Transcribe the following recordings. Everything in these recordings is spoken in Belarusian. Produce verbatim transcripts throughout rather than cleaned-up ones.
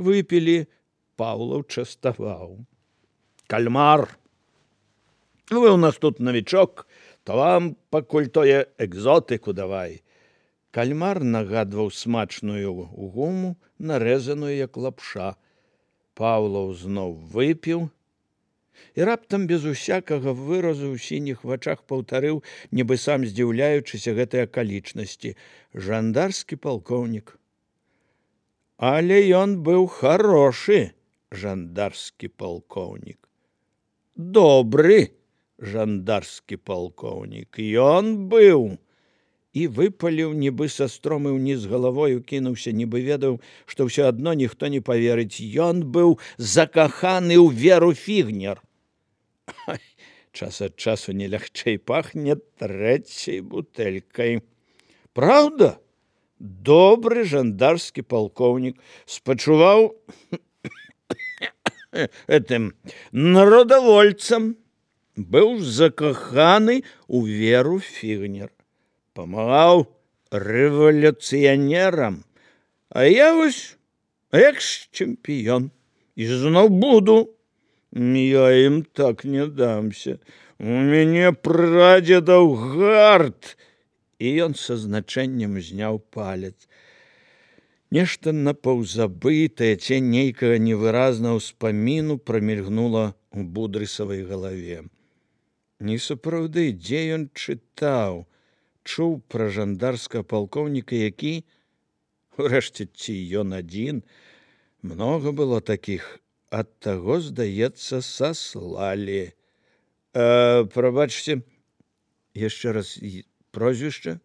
выпілі, Паўлаў частаваў. Кальмар, вы ў нас тут навічок, то вам пакуль тое экзотыку давай. Кальмар нагадваў смачную гуму, нарэзаную як лапша. Паўлаў зноў выпіў і раптам без усякага выразу ў сініх вачах паўтарыў, нібы сам здзіўляючыся гэтай акалічнасці: жандарскі палкоўнік. Але ён быў харошы жандарскі палкоўнік. Добры жандарскі палкоўнік. Ён быў. І выпаліў, нібы са стромы ўніз галавою кінуўся, нібы ведаў, што ўсё адно ніхто не паверыць. Ён быў закаханы ў Веру Фігнер. Час ад часу не лягчэй пахне трэцяй бутэлькай. Праўда? Добры жандарскі палкоўнік спачуваў этым народавольцам, быў закаханы ў Веру Фігнер. Памагаў рэвалюцыянерам, а я вось экс-чэмпіён і зноў буду. Я ім так не дамся. У мяне прадзедаў гарт. І ён са значэннем зняў палец. Нешта напаўзабытае, цень нейкага невыразнага ўспаміну прамільгнула ў Будрысавай галаве. Не сапраўды, дзе ён чытаў, чуў пра жандарскага палкоўніка, які, урэшце, ці ён адзін, многа было такіх, ад таго, здаецца, саслалі. Э, прабачце, яшчэ раз прозвішча?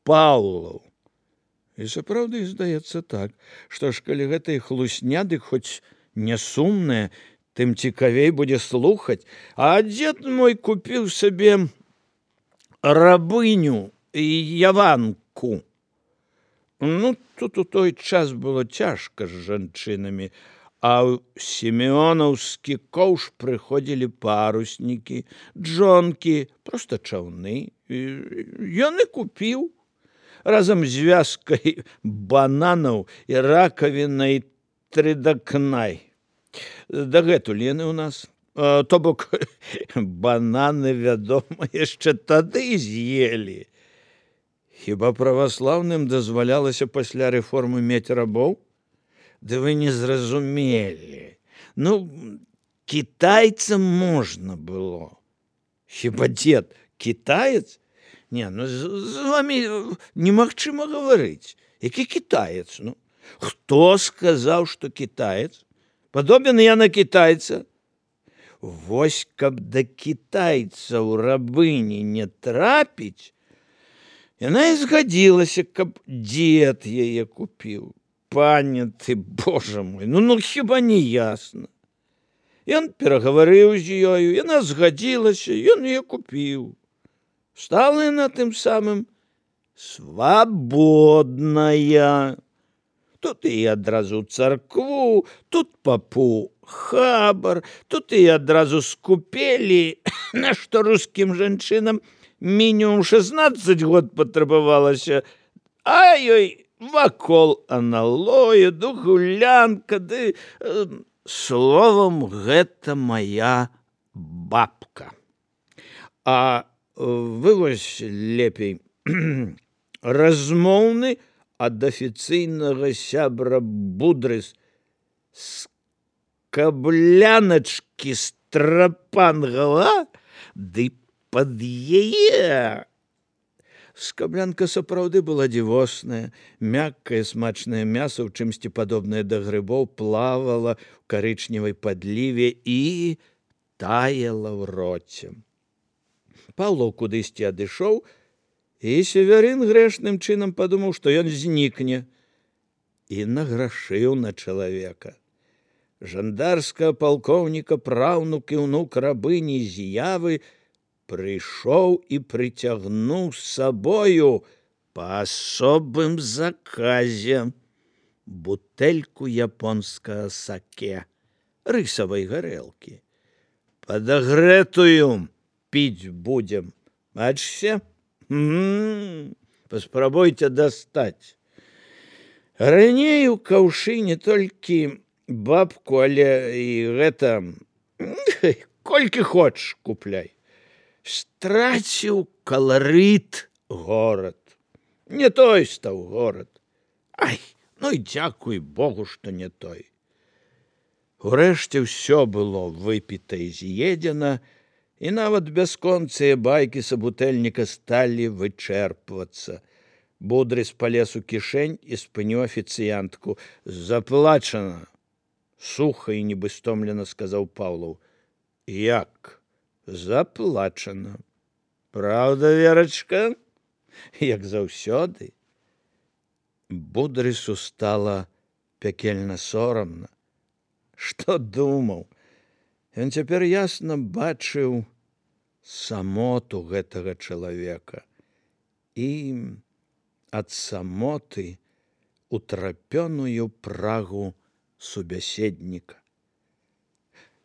Паўлаў. І сапраўды, здаецца так, што ж, калі гэтай хлусня, дык хоць не сумная, тым цікавей будзе слухаць. А дзед мой купіў сабе рабыню і яванку. Ну, тут у той час было цяжка з жанчынамі, а ў сімеонаўскі коўш прыходзілі паруснікі, джонкі, проста чаўны. Ён і купіў разам з вязкай бананаў і ракавінай трыдакнай. Дагэтуль яны ў нас. То бок, бананы, вядома, яшчэ тады з'елі. Хіба праваслаўным дазвалялася пасля рэформы мець рабоў? Ды вы не зразумелі. Ну, кітайцам можна было. Хіба дзед кітаец? Не, ну з, з вамі немагчыма гаварыць. Які кітаец? Ну, хто сказаў, што кітаец? Падобен я на кітайца? Вось каб да кітайца ў рабыні не трапіць, яна і згадзілася, каб дзед яе купіў. Пане ты, божа мой, ну, ну хіба не ясна. Ён перагаварыў з ёю, яна згадзілася, ён яе купіў. Стала яна тым самым свабодная. Тут і адразу царкву, тут папу хабар, тут і адразу скупелі, на што рускім жанчынам мінімум шэснаццаць год патрабавалася, а ёй вакол аналоя, ды гулянка, ды... Словам, гэта мая бабка. А вы вось лепей размоўны ад афіцыйнага сябра Будрыс з кабляначкі страпангала, ды пад яе. Скаблянка сапраўды была дзівосная, мяккае смачнае мяса, у чымсьці падобнае да грыбоў, плавала ў карычневай падліве і таяла ў роце. Паўлаў кудысьці адышоў, і Севярын грэшным чынам падумаў, што ён знікне, і награшыў на чалавека. Жандарскага палкоўніка, праўнук і ўнук рабыні З'явы прыйшоў і прыцягнуў з сабою па асобым заказе бутэльку японскага саке, рысавай гарэлкі. Падагрэтую піць будзем. Бачце? М-м-м, паспрабуйце дастаць. Раней у каўшы не толькі бабку, але і гэта колькі хочаш купляй. Страціў каларыт горад. Не той стаў горад. Ай, ну і дзякуй Богу, што не той. Урэшце ўсё было выпіта і з'едзена, і нават бясконцыя байкі сабутэльніка сталі вычэрпвацца. Будрыс палез у кішэнь і спыніў афіцыянтку. Заплачана. Суха і нібы стомлена сказаў Паўлаў. Як? Заплачана. Праўда, Верачка? Як заўсёды. Будрысу стала пякельна сорамна. Што думаў? Ён цяпер ясна бачыў самоту гэтага чалавека і ад самоты утрапёную прагу субяседніка.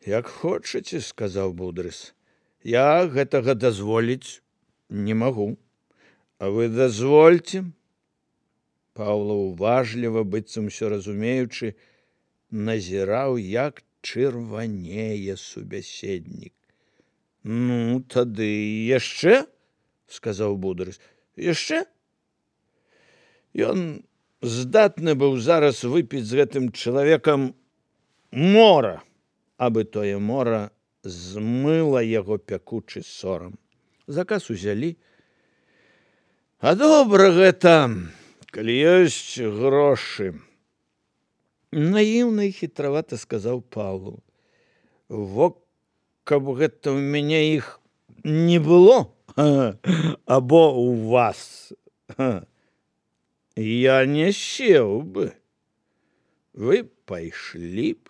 Як хочаце, сказаў Будрыс. Я гэтага дазволіць не магу. А вы дазвольце? Паўлаў уважліва, быццам усё разумеючы, назіраў, як чырванее субяседнік. Ну, тады яшчэ, сказаў Будрыс. Яшчэ? Ён здатны быў зараз выпіць з гэтым чалавекам мора, абы тое мора змыла яго пякучы сорам. Заказ узялі. А добра гэта, калі ёсць грошы. Наіўна і хітравата сказаў Паўлаў. Во, каб гэта ў мяне іх не было, або ў вас. Я не сеў бы. Вы пайшлі б.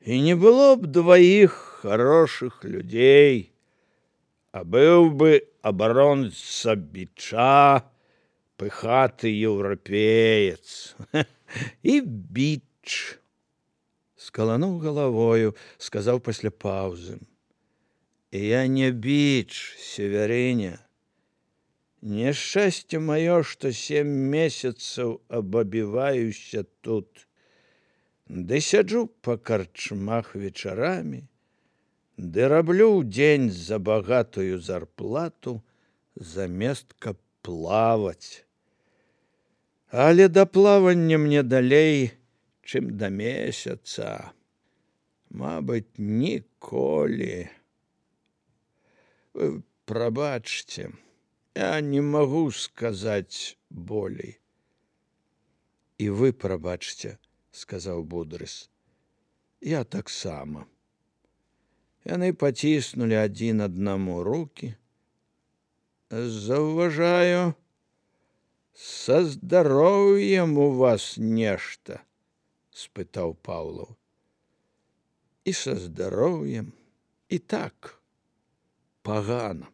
І не было б дваіх хорошых людзей, а быў бы абаронца Бича, пыхаты еўрапеец. І Біч. Скалануў галавою, сказаў пасля паўзы. Я не Біч, Северыня. Няшчасце маё, што сем месяцаў абабіваюся тут. Ды сяджу па карчмах вечарамі, ды раблю ў дзень за багатую зарплату замест каб плаваць. Але да плавання мне далей, чым да месяца. Мабыць, ніколі. Вы прабачце. Я не магу сказаць болей. І вы прабачце, сказаў Будрыс. Я таксама. Яны паціснулі адзін аднаму рукі. Заўважаю, са здароўем у вас нешта, спытаў Паўлаў. І са здароўем, і так, пагана.